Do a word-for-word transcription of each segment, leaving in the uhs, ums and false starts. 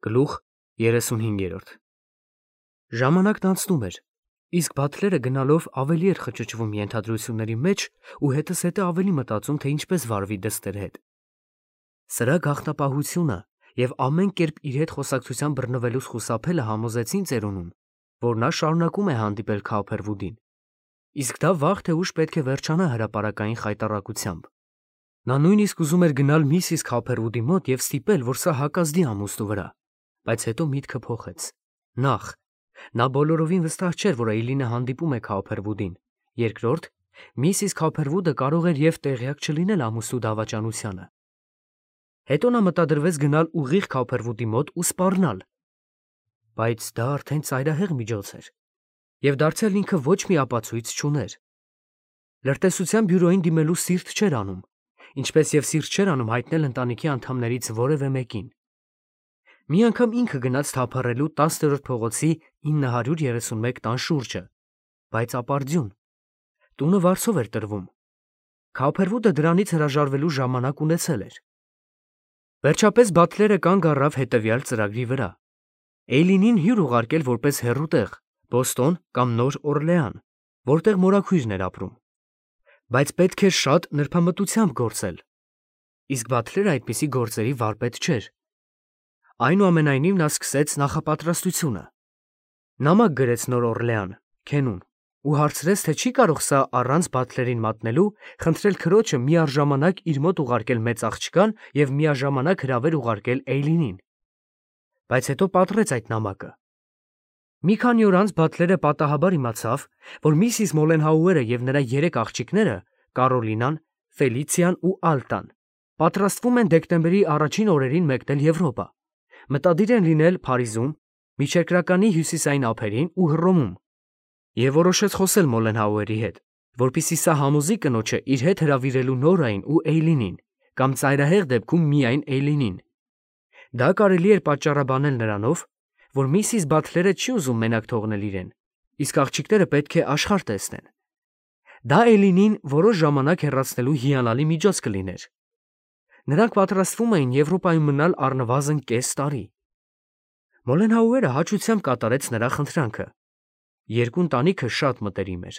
Գլուխ երեսունհինգ. Ժամանակն անցնում էր, իսկ Բաթլերը գնալով ավելի էր խճճվում ենթադրությունների մեջ ու հետզհետե ավելի մտածում, թե ինչպես վարվի դստեր հետ։ Սրա գաղտնապահությունը և ամեն կերպ իր հետ խոսակցության բռնվելուց խուսափելը համոզեցին ծերունուն, որ նա շարունակում է հանդիպել Քոուփերվուդին, իսկ դա վաղ թե ուշ պետք է վերջանա հրապարակային խայտառակությամբ։ Նա նույնիսկ ուզում էր գնալ միսիս Քոուփերվուդի մոտ և ստիպել, որ սա հակազդի ամուսնու վրա, բայց հետո միտքը փոխեց։ Նախ, նա բոլորովին վստահ չէր, որ Էյլինը հանդիպում է Քոուփերվուդին, երկրորդ, միսիս Քոուփերվուդը կարող էր և տեղյակ չլինել ամուսնու դավաճանությանը։ Հետո նա մտադրվեց գնալ ուղիղ Քոուփերվուդի մոտ ու սպառնալ, բայց դա արդեն ծայրահեղ միջոց էր, և դարձյալ ինքը ոչ մի ապացույց չուներ։ Լրտեսության բյուրոյին դիմելու սիրտ չէր անում, ինչպես և սիրտ չէր անում հայտնել ընտանիքի անդամներից որևէ մեկին։ Մի անգամ ինքը գնաց թափառելու տասներորդ փողոցի ինը հարյուր երեսունմեկ տան շուրջը, բայց ապարդյուն, տունը վարձով էր տրվում։ Քոուփերվուդը դրանից հրաժարվելու ժամանակ ունեցել էր։ Վերջապես Բաթլերը կանգ առավ հետևյալ ծրագրի վրա. Էյլինին հյուր ուղարկել որպես հեռու տեղ, Բոստոն կամ Նոր Օրլեան, որտեղ մորաքույրն էր ապրում, բայց պետք էր շատ նրբամտությամբ գործել, իսկ Բաթլերը այդպիսի գործերի վարպետ չէր։ Այնուամենայնիվ նա սկսեց նախապատրաստությունը։ Նամակ գրեց Նոր Օրլեան, Քենուն, ու հարցրեց, թե չի կարող սա առանց Բաթլերին մատնելու խնդրել քրոջը միաժամանակ իր մոտ ուղարկել մեծ աղջկան և միաժամանակ հրավեր ուղարկել Էյլինին, բայց հետո պատռեց այդ նամակը։ Մի քանի օր անց Բաթլերը պատահաբար իմացավ, որ միսիս Մոլենհաուերը և նրա երեք աղջիկները՝ Կարոլինան, Ֆելիցիան ու Ալտան, պատրաստվում են դեկտեմբերի առաջին օրերին մեկնել Եվրոպա, մտադիր են լինել Փարիզում, միջերկրականի հյուսիսային ափերին ու Հռոմում, և որոշեց խոսել Մոլենհաուերի հետ, որպեսզի սա համոզի կնոջը իր հետ հրավիրելու Նորային ու Էյլինին, կամ ծայրահեղ դեպքում միայն Էյլինին։ Դա կարելի էր պատճառաբանել նրանով, որ միսիս Բաթլերը չի ուզում մենակ թողնել իրեն, իսկ աղջիկները պետք է աշխարհ տեսնեն։ Դա Էյլինին որոշ ժամանակ հեռացնելու հիանալի միջոց կլիներ։ Նրանք պատրաստվում էին Եվրոպայում մնալ առնվազն կես տարի։ Մոլենհաուերը հաճությամբ կատարեց նրա խնդրանքը։ Երկու ընտանիքը շատ մտերիմ էր։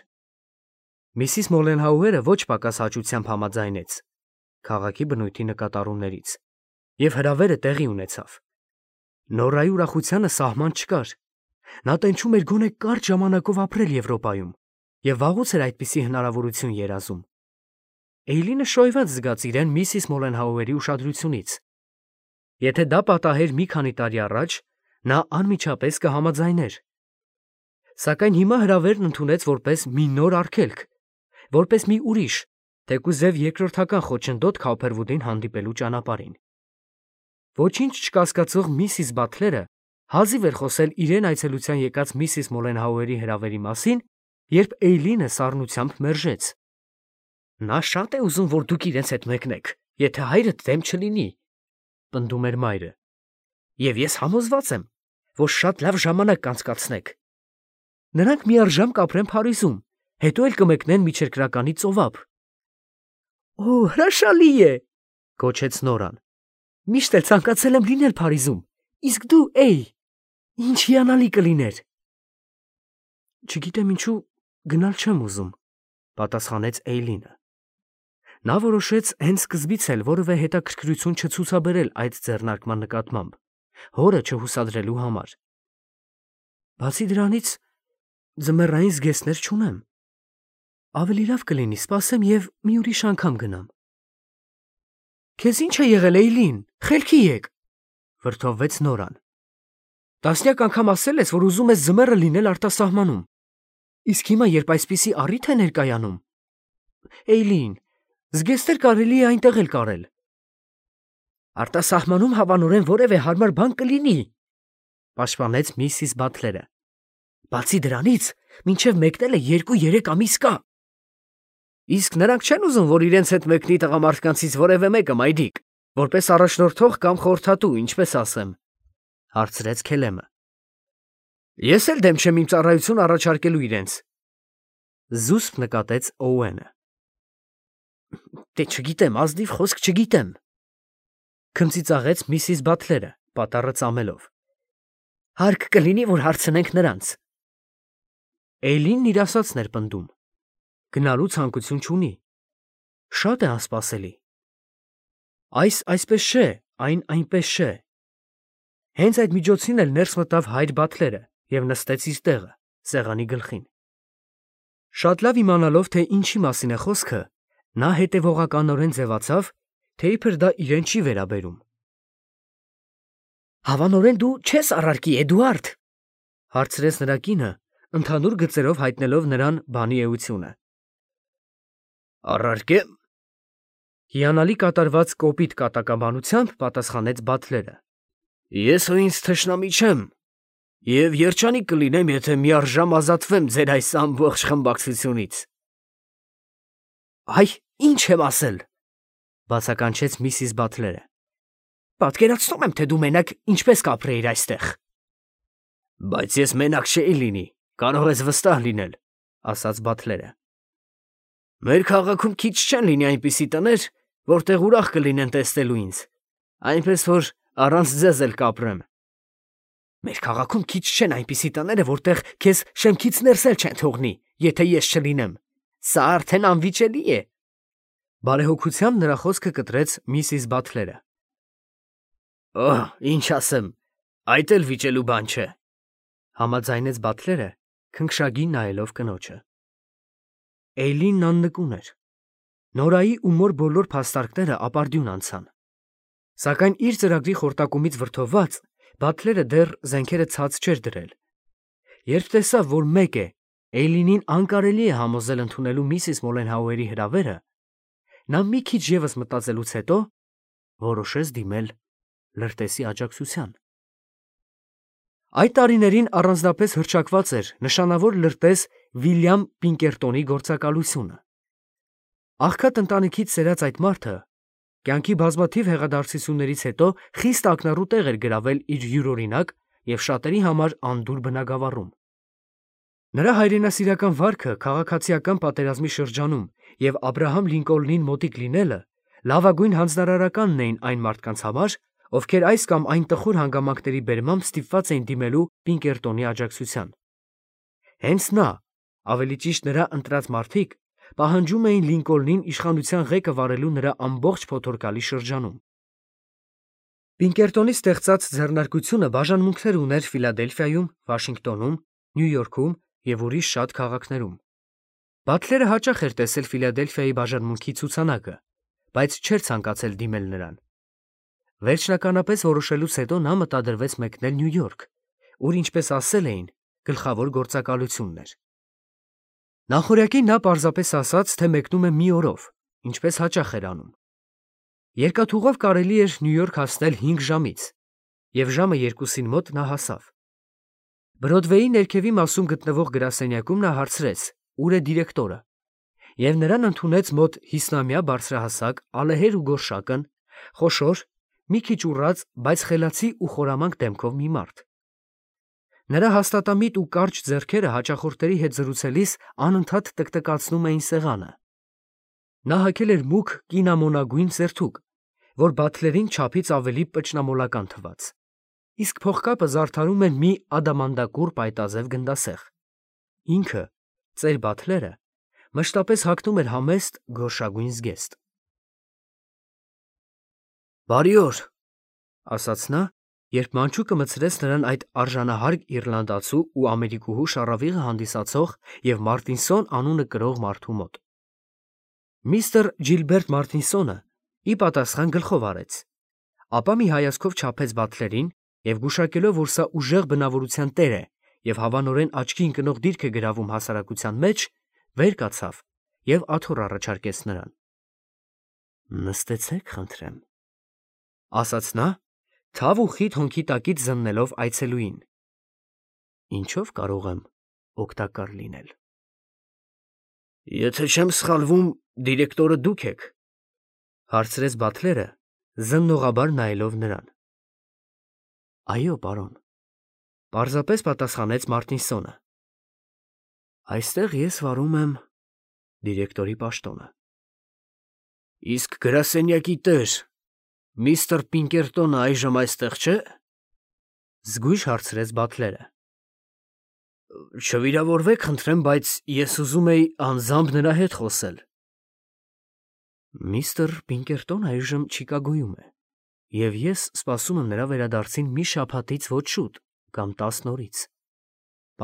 Միսիս Մոլենհաուերը ոչ պակաս հաճությամբ համաձայնեց քաղաքի բնույթի նկատառումներից, և հրավերը տեղի ունեցավ։ Նորայի ուրախությանը սահման չկար։ Նա տենչում էր գոնե կարճ ժամանակով ապրել Եվրոպայում և վաղուց էր այդպիսի հնարավորություն երազում։ Էյլինը շոյված զգաց իրեն միսիս Մոլենհաուերի ուշադրությունից։ Եթե դա պատահեր մի քանի տարի առաջ, նա անմիջապես կհամաձայներ։ Սակայն հիմա հրավերն ընդունեց որպես մի նոր արգելք, որպես մի ուրիշ, թեկուզև երկրորդական խոչընդոտ Քոուփերվուդին հանդիպելու ճանապարհին։ Ոչինչ չկասկածող միսիս Բաթլերը հազիվ էր խոսել իրեն այցելության եկած միսիս Մոլենհաուերի հրավերի մասին, երբ Էյլինը սառնությամբ մերժեց։ Նա շատ է ուզում, որ դուք իրենց հետ մեկնեք, եթե հայրդ դեմ չլինի, պնդում էր մայրը, և ես համոզված եմ, որ շատ լավ ժամանակ կանցկացնեք։ Նրանք միառժամ կապրեն Փարիզում, հետո էլ կմեկնեն միջերկրականի ծովափ։ Օ, հրաշալի է, գոչեց Նորան։ Միշտ էլ ցանկացել եմ լինել Փարիզում, իսկ դու, Էյ, ինչ հիանալի կլիներ։ Չգիտեմ ինչու գնալ չեմ ուզում, պատասխանեց Էյլինը։ Նա որոշեց հենց սկզբից էլ որևէ հետաքրքրություն չցուցաբերել այդ ձեռնարկման նկատմամբ, հորը չհուսադրելու համար։ Բացի դրանից, ձմեռային զգեստներ չունեմ։ Ավելի լավ կլինի սպասեմ և մի ուրիշ անգամ գնամ։ Քեզ ի՞նչ է եղել, Էյլին, խելքի եկ, վրդովվեց Նորան։ Տասնյակ անգամ ասել ես, որ ուզում ես ձմեռը լինել արտասահմանում, իսկ հիմա, երբ այսպիսի առիթ է ներկայանում… Էյլին, զգեստներ կարելի է այնտեղ էլ կարել։ Արտասահմանում հավանորեն որևէ հարմար բան կլինի, պաշտպանեց միսիս Բաթլերը։ Բացի դրանից, մինչև մեկնելը երկու-երեք ամիս կա։ Իսկ նրանք չեն ուզում, որ իրենց հետ մեկնի տղամարդկանցից որևէ մեկը, մայրիկ, որպես առաջնորդող կամ խորհրդատու, ինչպես ասեմ, հարցրեց Քելեմը։ Ես էլ դեմ չեմ իմ ծառայություն առաջարկելու իրենց, զուսպ նկատեց Օուենը։ Դե չգիտեմ, ազնիվ խոսք չգիտեմ, քմծիծաղեց միսիս Բաթլերը, պատառը ծամելով։ Հարկ կլինի, որ հարցնենք նրանց։ Էյլինն իր ասածն էր պնդում։ Գնալու ցանկություն չունի։ Շատ է անսպասելի։ Այս այսպես չէ, այն այնպես չէ։ Հենց այդ միջոցին էլ ներս մտավ հայր Բաթլերը և նստեց իր տեղը, սեղանի գլխին։ Շատ լավ իմանալով, թե ինչի մասին է խոսքը, նա հետևողականորեն ձևացավ, թե իբր դա իրեն չի վերաբերում։ Հավանորեն դու չես առարկի, Էդուարդ, հարցրեց նրա կինը, ընդհանուր գծերով հայտնելով նրան բանի էությունը։ Առարկեմ։ Հիանալի կատարված կոպիտ կատակաբանությամբ պատասխանեց Բաթլերը։ Ես ու ինձ թշնամի չեմ, և երջանիկ կլինեմ, եթե միառժամ ազատվեմ ձեր այս ամբողջ խմբակցությունից։ Այ, ինչ եմ ասել, բացականչեց միսիս Բաթլերը։ Պատկերացնում եմ, թե դու մենակ ինչպես կապրեիր այստեղ։ Բայց ես մենակ չէի լինի, կարող ես վստահ լինել, ասաց Բաթլերը։ Մեր քաղաքում քիչ չեն լինի այնպիսի տներ, որտեղ ուրախ կլինեն տեսնելու ինձ, այնպես որ առանց ձեզ էլ կապրեմ։ Մեր քաղաքում քիչ չեն այնպիսի տները, որտեղ քեզ շեմքից ներս էլ չեն թողնի, եթե ես չլինեմ։ Սա արդեն անվիճելի է։ Բարեհոգությամբ նրա խոսքը կտրեց միսիս Բաթլերը։ Օհ, ինչ ասեմ, այդ էլ վիճելու բան չէ, համաձայնեց Բաթլերը, քնքշագին նայելով կնոջը։ Էյլինն աննկուն էր։ Նորայի ու մոր բոլոր փաստարկները ապարդյուն անցան։ Սակայն իր ծրագրի խորտակումից վրդովված Բաթլերը դեռ զենքերը ցած չէր դրել։ Երբ տեսավ, որ մեկ է, Էյլինին անկարելի է համոզել ընդունելու միսիս Մոլենհաուերի հրավերը, նա մի քիչ ևս մտածելուց հետո որոշեց դիմել լրտեսի աջակցության։ Այդ տարիներին առանձնապես հռչակված էր նշանավոր լրտես Վիլյամ Պինկերտոնի գործակալությունը։ Աղքատ ընտանիքից սերած այդ մարդը կյանքի բազմաթիվ հեղադարձություններից հետո խիստ ակնառու տեղ էր գրավել իր յուրօրինակ և շատերի համար անդուր բնակավարում։ Նրա հայրենասիրական վարքը քաղաքացիական պատերազմի շրջանում և Աբրահամ Լինկոլնին մոտիկ լինելը լավագույն հանձնարարականն էին այն մարդկանց համար, ովքեր այս կամ այն տխուր հանգամանքների բերմամբ ստիպված էին դիմելու Պինկերտոնի աջակցության։ Հենց նա, ավելի ճիշտ նրա ընտրած մարդիկ, պահանջում էին Լինկոլնին իշխանության ղեկը վարելու նրա ամբողջ փոթորկալի շրջանում։ Պինկերտոնի ստեղծած ձեռնարկությունը բաժանմունքներ ուներ Ֆիլադելֆիայում, Վաշինգտոնում, Նյու Յորքում և ուրիշ շատ քաղաքներում։ Բաթլերը հաճախ էր տեսել Ֆիլադելֆիայի բաժանմունքի ցուցանակը, բայց չէր ցանկացել դիմել նրան։ Վերջնականապես որոշելուց հետո նա մտադրվեց մեկնել Նյու Յորք, ուր, ինչպես ասել էին, գլխավոր գործակալությունն էր։ Նախօրյակին նա պարզապես ասաց, թե մեկնում է մի օրով, ինչպես հաճախ էր անում։ Երկաթուղով կարելի էր Նյու Յորք հասնել հինգ ժամից, և ժամը երկուսին մոտ նա հասավ։ Բրոդվեյի ներքևի մասում գտնվող գրասենյակում նա հարցրեց, ուր է դիրեկտորը, և նրան ընդունեց մոտ հիսնամյա բարձրահասակ, ալեհեր ու գորշակն, խոշոր, մի քիչ ուռած, բայց խելացի ու խորամանկ դեմքով մի մարդ։ Նրա հաստատամիտ ու կարճ ձեռքերը հաճախորդների հետ զրուցելիս անընդհատ տկտկացնում էին սեղանը։ Նա հագել էր մուգ կինամոնագույն սերթուկ, որ Բաթլերին չափից ավելի պճնամոլական թվաց, իսկ փողկապը զարդարում էր մի ադամանդակուռ պայտազև գնդասեղ։ Ինքը, ծեր Բաթլերը, մշտապես հագնում էր համեստ գորշագույն զգեստ։ Բարի օր, ասաց նա, երբ մանչուկը մտցրեց նրան այդ արժանահարկ իռլանդացու ու ամերիկուհու շառավիղը հանդիսացող և Մարտինսոն անունը կրող մարդու մոտ։ Միստր Ջիլբերտ Մարտինսոնը ի պատասխան գլխով արեց, ապա մի հայացքով չափեց Բաթլերին և գուշակելով, որ սա ուժեղ բնավորության տեր է և հավանորեն աչքի ընկնող դիրք է գրավում հասարակության մեջ, վեր կացավ և աթոռ առաջարկեց նրան։ Նստեցեք, խնդրեմ, ասաց նա, թավ ու խիտ հոնքի տակից զննելով այցելուին։ Ինչով կարող եմ օգտակար լինել։ Եթե չեմ սխալվում, դիրեկտորը դուք եք, հարցրեց Բաթլերը, զննողաբար նայելով նրան։ Այո, պարոն, պարզապես պատասխանեց Մարտինսոնը։ Այստեղ ես վարում եմ դիրեկտորի պաշտոնը։ Իսկ գրասենյակի տեր, միստր Պինկերտոնը այժմ այստեղ չէ։ Զգույշ հարցրեց Բաթլերը։ Չվիրավորվեք, խնդրեմ, բայց ես ուզում էի անձամբ նրա հետ խոսել։ Միստր Պինկերտոնը այժմ Չիկագոյում է, և ես սպասում եմ նրա վերադարձին մի շաբաթից ոչ շուտ կամ տասն օրից,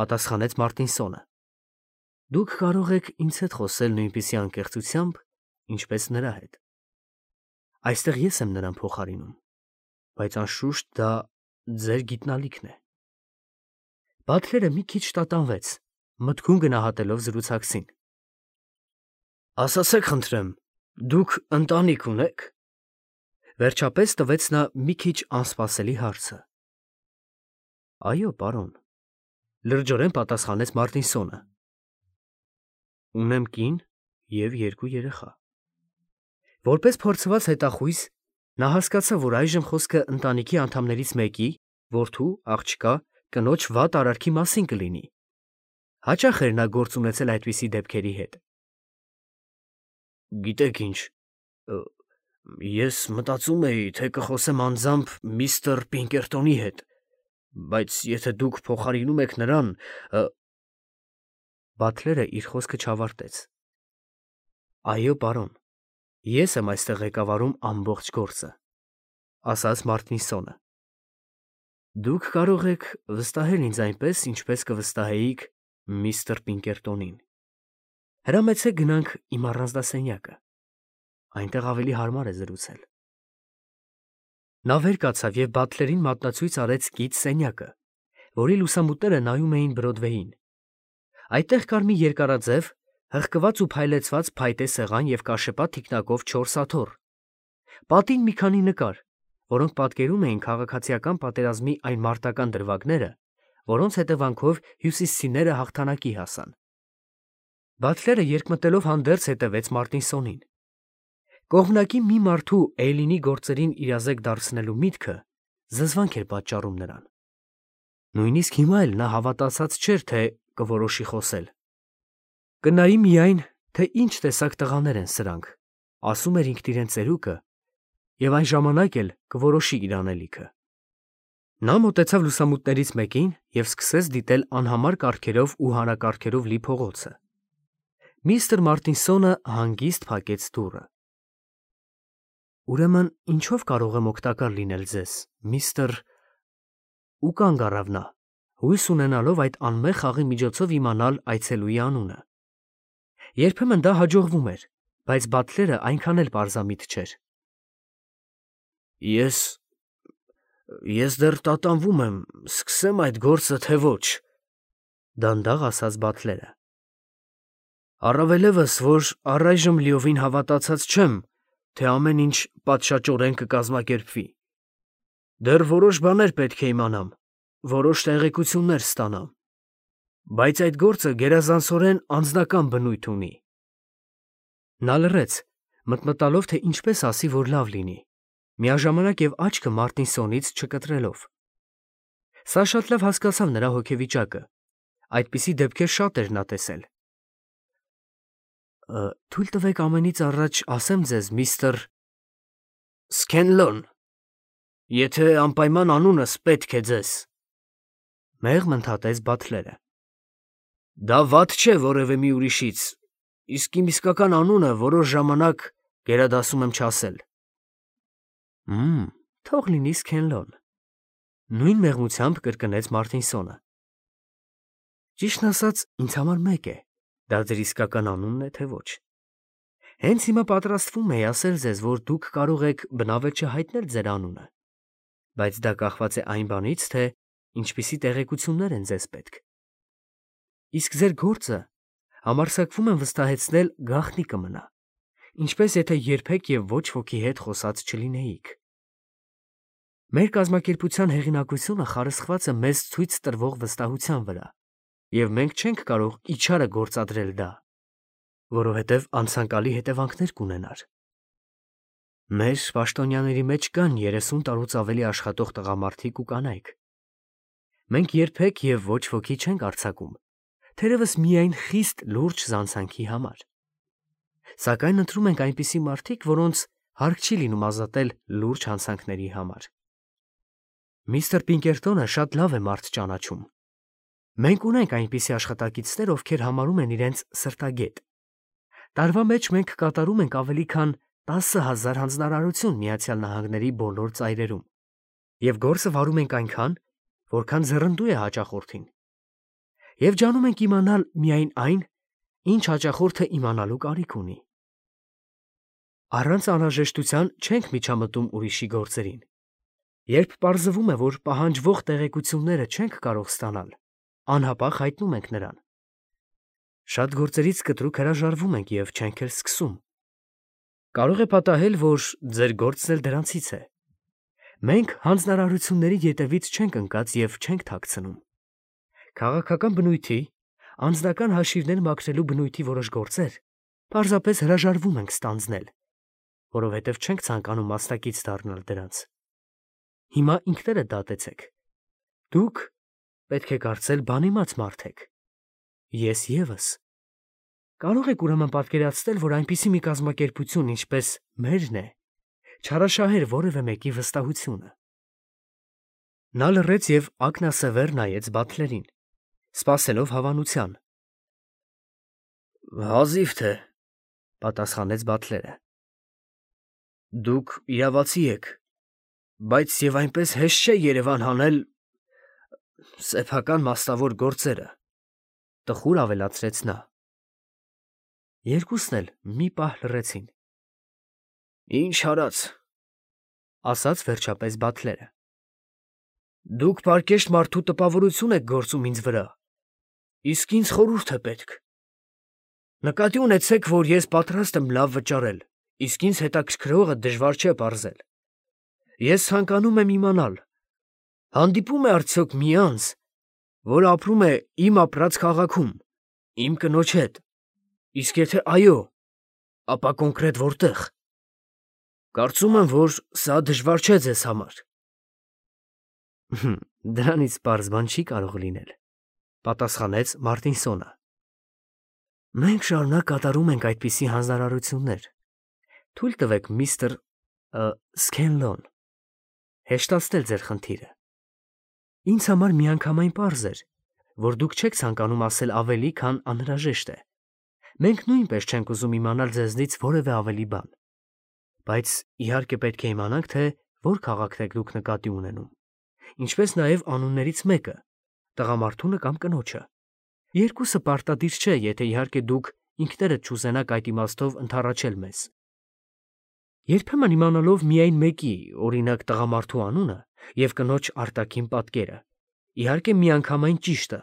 պատասխանեց Մարտինսոնը։ Դուք կարող եք ինձ հետ խոսել նույնպիսի անկեղծությամբ, ինչպես նրա հետ։ Այստեղ ես եմ նրան փոխարինում, բայց անշուշտ դա ձեր գիտնալիքն է։ Բաթլերը մի քիչ տատանվեց, մտքում գնահատելով զրուցակցին։ Ասացեք, խնդրեմ, դուք ընտանիք ունե՞ք։ Վերջապես տվեց նա մի քիչ անսպասելի հարցը։ Այո, պարոն, լրջորեն պատասխանեց Մարտինսոնը։ Ունեմ կին և երկու երեխա։ Որպես փորձված հետախույզ, նա հասկացավ, որ այժմ խոսքը ընտանիքի անդամներից մեկի, որդու, աղջկա, կնոջ վատ արարքի մասին կլինի։ Հաճախ էր նա գործ ունեցել այդպիսի դեպքերի հետ։ Գիտեք ինչ, ես մտածում էի, թե կխոսեմ անձամբ միստր Պինկերտոնի հետ, բայց եթե դուք փոխարինում եք նրան… Բաթլերը իր խոսքը չավարտեց։ Այո, պարոն, ես եմ այստեղ ղեկավարում ամբողջ գործը, ասաց Մարտինսոնը։ Դուք կարող եք վստահել ինձ այնպես, ինչպես կվստահեիք միստր Պինկերտոնին։ Հրամեցեք գնանք իմ առանձնասենյակը։ Այնտեղ ավելի հարմար է զրուցել։ Նա վեր կացավ և Բաթլերին մատնացույց արեց կից սենյակը, որի լուսամուտները նայում էին Բրոդվեյին։ Այդտեղ կար մի երկարաձև, հղկված ու փայլեցված փայտե սեղան և կաշեպատ թիկնակով չորս աթոռ։ Պատին մի քանի նկար, որոնք պատկերում էին քաղաքացիական պատերազմի այն մարտական դրվագները, որոնց հետևանքով հյուսիսցիները հաղթանակի հասան։ Բաթլերը երկմտելով հանդերձ հետևեց Մարտինսոնին։ Կողմնակի մի մարդու Էյլինի գործերին իրազեկ դարձնելու միտքը զզվանք էր պատճառում նրան։ Նույնիսկ հիմա էլ նա հավատացած չէր, թե կորոշի խոսել։ Կնայի միայն, թե ինչ տեսակ տղաներ են սրանք, ասում էր ինքն իրեն ծերուկը, և այն ժամանակ էլ կորոշի իր անելիքը։ Նա մոտեցավ լուսամուտներից մեկին և սկսեց դիտել անհամար կառքերով ու հանրակառքերով լի փողոցը։ Միստր Մարտինսոնը հանգիստ փակեց դուռը։ Ուրեմն ինչով կարող եմ օգտակար լինել ձեզ, միստր… Ու կանգ առավ նա, հույս ունենալով այդ անմեղ խաղի միջոցով իմանալ այցելուի անունը։ Երբեմն դա հաջողվում էր, բայց Բաթլերը այնքան էլ պարզամիտ չէր։ Ես… ես դեռ տատանվում եմ, սկսեմ այդ գործը, թե ոչ, դանդաղ ասաց Բաթլերը։ Առավելևս, որ առայժմ լիովին հավատացած չեմ, թե ամեն ինչ պատշաճորեն կկազմակերպվի։ Դեռ որոշ բաներ պետք է իմանամ, որոշ տեղեկություններ ստանամ, բայց այդ գործը գերազանցորեն անձնական բնույթ ունի։ Նա լռեց, մտմտալով, թե ինչպես ասի, որ լավ լինի, միաժամանակ և աչքը Մարտինսոնից չկտրելով։ Սա շատ լավ հասկացավ նրա հոգեվիճակը, այդպիսի դեպքեր շատ էր նա տեսել։ Թույլ տվեք ամենից առաջ ասեմ ձեզ, միստր… Սքենլոն, եթե անպայման անունս պետք է ձեզ… Մեղմ ընդհատեց Բաթլերը։ Դա վատ չէ որևէ մի ուրիշից, իսկ իմ իսկական անունը որոշ ժամանակ գերադասում եմ չասել։ Հըմ, թող լինի Սքենլոն, նույն մեղմությամբ կրկնեց Մարտինսոնը։ Ճիշտն ասած, ինձ համար մեկ է, դա ձեր իսկական անունն է, թե ոչ։ Հենց հիմա պատրաստվում էի ասել ձեզ, որ դուք կարող եք բնավել չհայտնել ձեր անունը, բայց դա կախված է այն բանից, թե ինչպիսի տեղեկություններ են ձեզ պետք։ Իսկ ձեր գործը համարձակվում եմ վստահեցնել գաղտնի կմնա, ինչպես եթե երբեք և ոչ ոքի հետ խոսած չլինեիք։ Մեր կազմակերպության հեղինակությունը խարսխված է մեզ ցույց տրվող վստահության վրա, և մենք չենք կարող իչարը գործադրել դա, որովհետև անցանկալի հետևանքներ կունենար։ Մեր պաշտոնյաների մեջ կան երեսուն տարուց ավելի աշխատող տղամարդիկ ու կանայք։ Մենք երբեք և ոչ ոքի չենք արձակում, թերևս միայն խիստ լուրջ զանցանքի համար։ Սակայն ընտրում ենք այնպիսի մարդիկ, որոնց հարկ չի լինում ազատել լուրջ հանցանքների համար։ Միստր Պինկերտոնը շատ լավ է մարդ ճանաչում։ Մենք ունենք այնպիսի աշխատակիցներ, ովքեր համարում են իրենց սրտագետ։ Տարվա մեջ մենք կատարում ենք ավելի քան տասը հազար հանձնարարություն Միացյալ Նահանգների բոլոր ծայրերում, և գործը վարում ենք այնքան, որքան ձեռնդու է հաճախորդին։ Եվ ջանում ենք իմանալ միայն այն, ինչ հաճախորդը իմանալու կարիք ունի։ Առանց անհրաժեշտության չենք միջամտում ուրիշի գործերին։ Երբ պարզվում է, որ պահանջվող տեղեկությունները չենք կարող ստանալ, անհապաղ հայտնում ենք նրան։ Շատ գործերից կտրուկ հրաժարվում ենք և չենք էլ սկսում։ Կարող է պատահել, որ ձեր գործն էլ դրանցից է։ Մենք հանձնարարությունների ետևից չենք ընկած և չենք թաքցնում։ Քաղաքական բնույթի, անձնական հաշիվներ մաքրելու բնույթի որոշ գործեր պարզապես հրաժարվում ենք ստանձնել, որովհետև չենք ցանկանում մասնակից դառնալ դրանց։ Հիմա ինքներդ դատեցեք։ Դուք պետք է կարծել բանիմաց մարդ եք։ Ես ևս։ Կարող եք ուրեմն պատկերացնել, որ այնպիսի մի կազմակերպություն, ինչպես մերն է, չարաշահեր որևէ մեկի վստահությունը։ Նա լռեց և ակնասևեր նայեց Բաթլերին, սպասելով հավանության։ Հազիվ թե, պատասխանեց Բաթլերը։ Դուք իրավացի եք, բայց և այնպես հեշտ չէ Երևան հանել սեփական մասնավոր գործերը, տխուր ավելացրեց նա։ Երկուսն էլ մի պահ լռեցին։ Ինչ արած, ասաց վերջապես Բաթլերը։ Դուք պարկեշտ մարդու տպավորություն եք գործում ինձ վրա, իսկ ինձ խորհուրդ է պետք։ Նկատի ունեցեք, որ ես պատրաստ եմ լավ վճարել, իսկ ինձ հետաքրքրողը դժվար չէ պարզել։ Ես ցանկանում եմ իմանալ, հանդիպում է արդյոք մի անձ, որ ապրում է իմ ապրած քաղաքում, իմ կնոջ հետ, իսկ եթե այո, ապա կոնկրետ որտեղ։ Կարծում եմ, որ սա դժվար չէ ձեզ համար։ Դրանից պարզ բան չի կարող լինել, պատասխանեց Մարտինսոնը։ Մենք շարունակ կատարում ենք այդպիսի հանձնարարություններ։ Թույլ տվեք, միստր Սքենլոն, հեշտացնել ձեր խնդիրը։ Ինձ համար միանգամայն պարզ էր, որ դուք չեք ցանկանում ասել ավելի, քան անհրաժեշտ է։ Մենք նույնպես չենք ուզում իմանալ ձեզնից որևէ ավելի բան։ Բայց իհարկե պետք է իմանանք, թե որ քաղաքն եք դուք նկատի ունենում, ինչպես նաև անուններից մեկը, տղամարդունը կամ կնոջը։ Երկուսը պարտադիր չէ, եթե իհարկե դուք ինքներդ չուզենաք այդ իմաստով ընդառաջել մեզ։ Երբեմն իմանալով միայն մեկի, օրինակ տղամարդու անունը և կնոջ արտաքին պատկերը, իհարկե միանգամայն ճիշտը,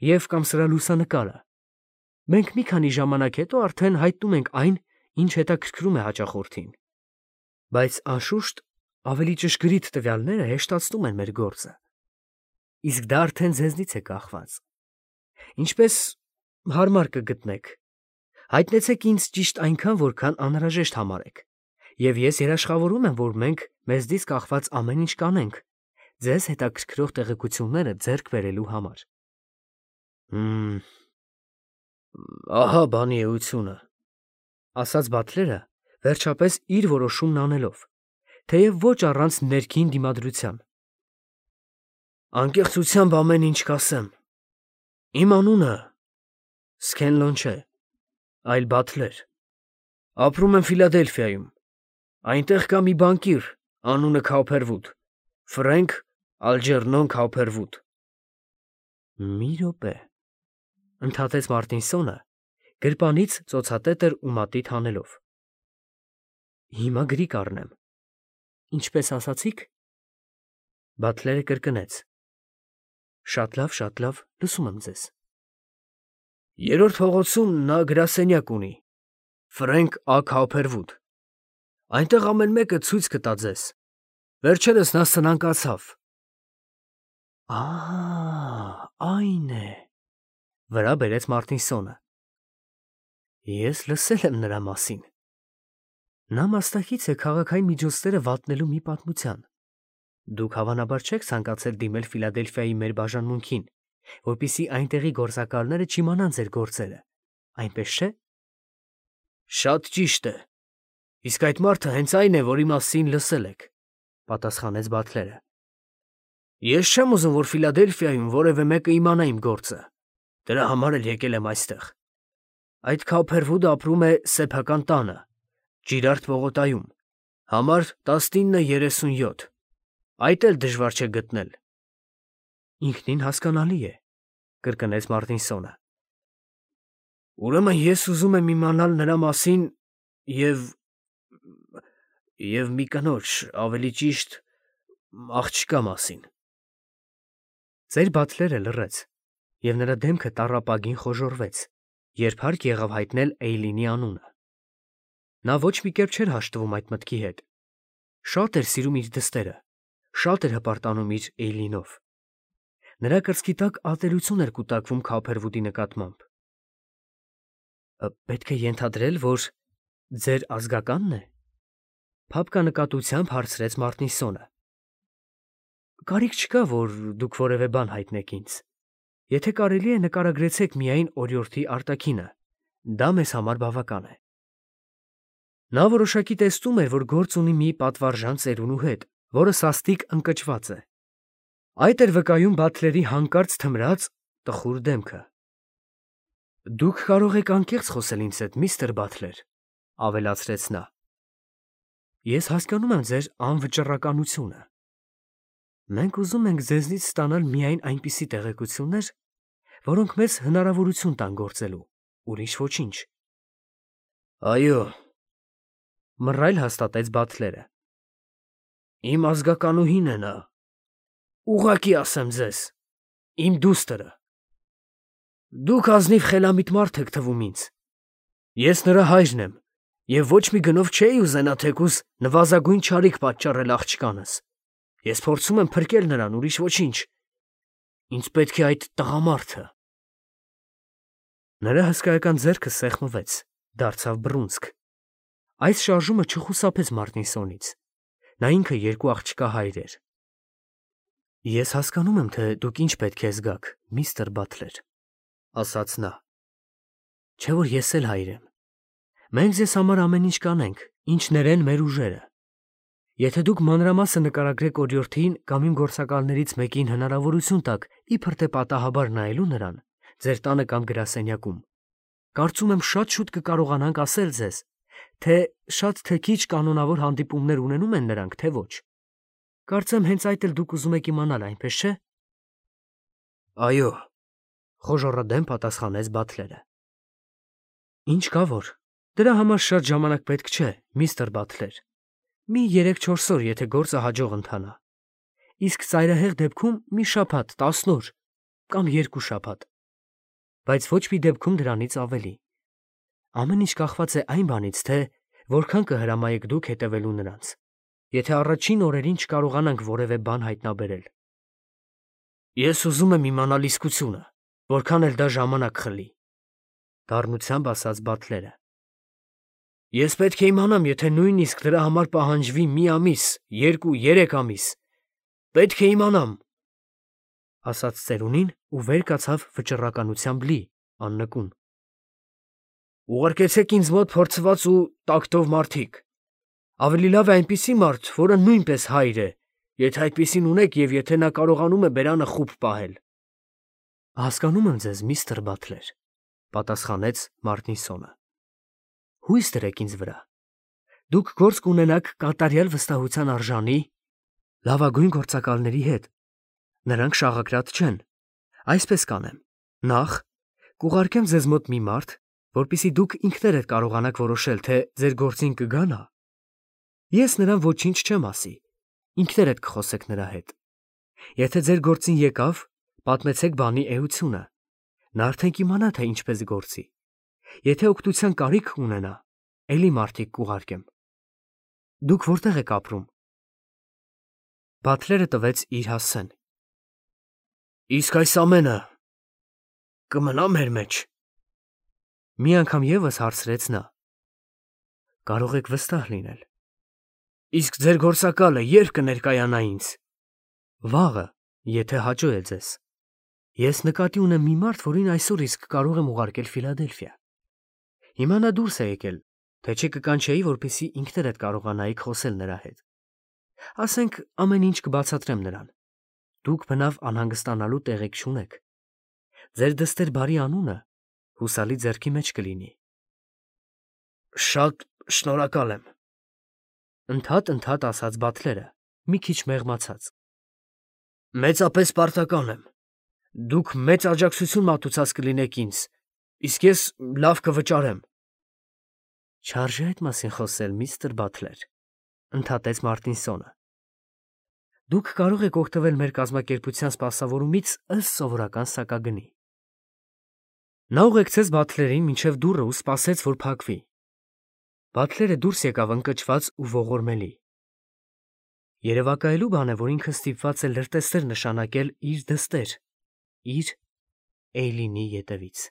և կամ սրա լուսանկարը, մենք մի քանի ժամանակ հետո արդեն հայտնում ենք այն, ինչ հետաքրքրում է հաճախորդին։ Բայց անշուշտ ավելի ճշգրիտ տվյալները հեշտացնում են մեր գործը։ Իսկ դա արդեն ձեզնից է կախված։ Ինչպես հարմար կգտնեք, հայտնեցեք ինձ ճիշտ այնքան, որքան անհրաժեշտ համարեք, և ես երաշխավորում եմ, որ մենք մեզնից կախված ամեն ինչ կանենք ձեզ հետաքրքրող տեղեկությունները ձեռք բերելու համար։ Հմ, ահա բանի էությունը, ասաց Բաթլերը, վերջապես իր որոշումն անելով, թեև ոչ առանց ներքին դիմադրության։ Անկեղծությամբ ամեն ինչ կասեմ։ Իմ անունը Սքենլոն չէ, այլ Բաթլեր։ Ապրում եմ Ֆիլադելֆիայում։ Այնտեղ կա մի բանկիր, անունը Քաուփերվուդ, Ֆրենկ Ալջերնոն Քաուփերվուդ։ Մի րոպե, ընդհատեց Մարտինսոնը, գրպանից ծոցատետր ու մատիտ հանելով։ Հիմա գրի կառնեմ։ Ինչպես ասացիք։ Բաթլերը կրկնեց։ Շատ լավ, շատ լավ, լսում եմ ձեզ։ Երրորդ փողոցում նա գրասենյակ ունի, Ֆրենկ Ա. Քաուփերվուդ։ Այնտեղ ամեն մեկը ցույց կտա ձեզ։ Վերջերս նա սնանկացավ։ Ահա, այն է, վրա բերեց Մարտինսոնը։ Ես լսել եմ նրա մասին։ Նա մասնակից է քաղաքային միջոցները վատնելու մի պատմության։ Դուք հավանաբար չեք ցանկացել դիմել Ֆիլադելֆիայի մեր բաժանմունքին, որպեսզի այնտեղի գործակալները չիմանան ձեր գործերը, այնպես չէ։ Շատ ճիշտ է։ Իսկ այդ մարդը հենց այն է, որի մասին լսել եք, պատասխանեց Բաթլերը։ Ես չեմ ուզում, որ Ֆիլադելֆիայում որևէ մեկը իմանա իմ գործը։ Դրա համար էլ եկել եմ այստեղ։ Այդ Քոփերվուդը ապրում է սեփական տանը, Ջիրարդ պողոտայում, համար տասնինը երեսունյոթ։ Այդ էլ դժվար չէ գտնել։ Ինքնին հասկանալի է, կրկնեց Մարտինսոնը։ Ուրեմն ես ուզում եմ իմանալ նրա մասին և և մի կնոջ, ավելի ճիշտ, աղջկա մասին։ Ձեր բաթլերը լռեց, և նրա դեմքը տառապագին խոժոռվեց, երբ հարկ եղավ հայտնել Էյլինի անունը։ Նա ոչ մի կերպ չէր հաշտվում այդ մտքի հետ։ Շատ էր սիրում իր դստերը, շատ էր հպարտանում իր Էյլինով։ Նրա կրծքի տակ ատելություն էր կուտակվում Քոփերվուդի նկատմամբ։ Պետք է ենթադրել, որ ձեր ազգականն է, փափկանկատությամբ հարցրեց Մարտինսոնը։ Կարիք չկա, որ դուք որևէ բան հայտնեք ինձ։ Եթե կարելի է, նկարագրեցեք միայն օրիորդի արտաքինը, դա մեզ համար բավական է։ Նա որոշակի տեսնում էր, որ գործ ունի մի պատվարժան ծերունու հետ, որը սաստիկ ընկճված է։ Այդ էր վկայում բաթլերի հանկարծ թմրած տխուր դեմքը։ Դուք կարող եք անկեղծ խոսել ինձ հետ, միստր Բաթլեր, ավելացրեց նա։ Ես հասկանում եմ ձեր անվճռականությունը։ Մենք ուզում ենք ձեզնից ստանալ միայն այնպիսի տեղեկություններ, որոնք մեզ հնարավորություն տան գործելու, ուրիշ ոչինչ։ Այո, մռայլ հաստատեց Բաթլերը։ Իմ ազգականուհին է նա։ Ուղղակի ասեմ ձեզ, իմ դուստրը։ Դուք ազնիվ խելամիտ մարդ եք թվում ինձ։ Ես նրա հայրն եմ, և ոչ մի գնով չէի ուզենա թեկուզ նվազագույն չարիք պատճառել աղջկանս։ Ես փորձում եմ փրկել նրան, ուրիշ ոչինչ։ Ինձ պետք է այդ տղամարդը։ Նրա հսկայական ձեռքը սեղմվեց, դարձավ բռունցք։ Այս շարժումը չխուսափեց Մարտինսոնից։ Նա ինքը երկու աղջկա հայր էր։ Ես հասկանում եմ, թե դուք ինչ պետք է զգաք, միստր Բաթլեր, ասաց նա։ Չէ՞ որ ես էլ հայր եմ։ Մենք ձեզ համար ամեն ինչ կանենք, ինչ ներեն մեր ուժերը։ Եթե դուք մանրամասը նկարագրեք օրիորդին կամ իմ գործակալներից մեկին հնարավորություն տաք իբր թե պատահաբար նայելու նրան, ձեր տանը կամ գրասենյակում, կարծում եմ շատ շուտ կկարողանանք ասել ձեզ, թե շատ թե քիչ կանոնավոր հանդիպումներ ունենում են նրանք, թե ոչ։ Կարծեմ հենց այդ էլ դուք ուզում եք իմանալ, այնպես չէ՞։ Այո, խոժոռադեմ պատասխանեց Բաթլերը։ Ինչ կա որ, դրա համար շատ ժամանակ պետք չէ, միստր Բաթլեր։ Մի երեք-չորս օր, եթե գործը հաջող ընթանա։ Իսկ ծայրահեղ դեպքում մի շաբաթ, տասն օր կամ երկու շաբաթ։ Բայց ոչ մի դեպքում դրանից ավելի։ Ամեն ինչ կախված է այն բանից, թե որքան կհրամայեք դուք հետևելու նրանց։ Եթե առաջին օրերին չկարողանանք որևէ բան հայտնաբերել։ Ես ուզում եմ իմանալ իսկությունը, որքան էլ դա ժամանակ խլի, դառնությամբ ասաց Բաթլերը։ Ես պետք է իմանամ, եթե նույնիսկ դրա համար պահանջվի մի ամիս, երկու, երեք ամիս։ Պետք է իմանամ, ասաց ծերունին ու վեր կացավ վճռականությամբ լի, աննկուն։ Ուղարկեցեք ինձ մոտ փորձված ու տակտով մարդիկ։ Ավելի լավ է այնպիսի մարդ, որը նույնպես հայր է, եթե այդպիսին ունեք և եթե նա կարողանում է բերանը խուբ պահել։ Հասկանում եմ ձեզ, միստր Բաթլեր, պատասխանեց Մարտինսոնը։ Հույս դրեք ինձ վրա։ Դուք գործ կունենաք կատարյալ վստահության արժանի լավագույն գործակալների հետ։ Նրանք շաղակրատ չեն։ Այսպես կանեմ. Նախ կուղարկեմ ձեզ մոտ մի մարդ, որպեսզի դուք ինքներդ կարողանաք որոշել, թե ձեր գործին կգա նա։ Ես նրան ոչինչ չեմ ասի, ինքներդ կխոսեք նրա հետ։ Եթե ձեր գործին եկավ, պատմեցեք բանի էությունը։ Նա արդեն կիմանա, թե ինչպես գործի։ Եթե օգնության կարիք ունենա, էլի մարդիկ կուղարկեմ։ Դուք որտեղ եք ապրում։ Բաթլերը տվեց իր հասցեն։ Իսկ այս ամենը կմնա մեր մեջ։ Մի անգամ ևս հարցրեց նա։ Կարող եք վստահ լինել։ Իսկ ձեր գործակալը ե՞րբ կներկայանա ինձ։ Վաղը, եթե հաջող է ձեզ։ Ես նկատի ունեմ մի մարդ, որին այսօր իսկ կարող եմ ուղարկել Ֆիլադելֆիա։ Հիմա նա դուրս է եկել, թե չի կկանչեի, որպեսզի ինքներդ կարողանայիք խոսել նրա հետ։ Ասենք ամեն ինչ կբացատրեմ նրան։ Դուք բնավ անհանգստանալու տեղիք չունեք։ Ձեր դստեր բարի անունը հուսալի ձեռքի մեջ կլինի։ Շատ շնորհակալ եմ, ընդհատ-ընդհատ ասաց Բաթլերը, մի քիչ մեղմացած։ Մեծապես պարտական եմ։ Դուք մեծ աջակցություն մատուցած կլինեք ինձ, իսկ ես լավ կվճարեմ։ Չարժե այդ մասին խոսել, միստր Բաթլեր, ընդհատեց Մարտինսոնը։ Դուք կարող եք օգտվել մեր կազմակերպության սպասավորումից ըստ սովորական սակագնի։ Նա ուղեկցեց Բաթլերին մինչև դուռը ու սպասեց, որ փակվի։ Բաթլերը դուրս եկավ ընկճված ու ողորմելի։ Երևակայելու բան է, որ ինքը ստիպված է լրտեսներ նշանակել իր դստեր, իր Էյլինի ետևից։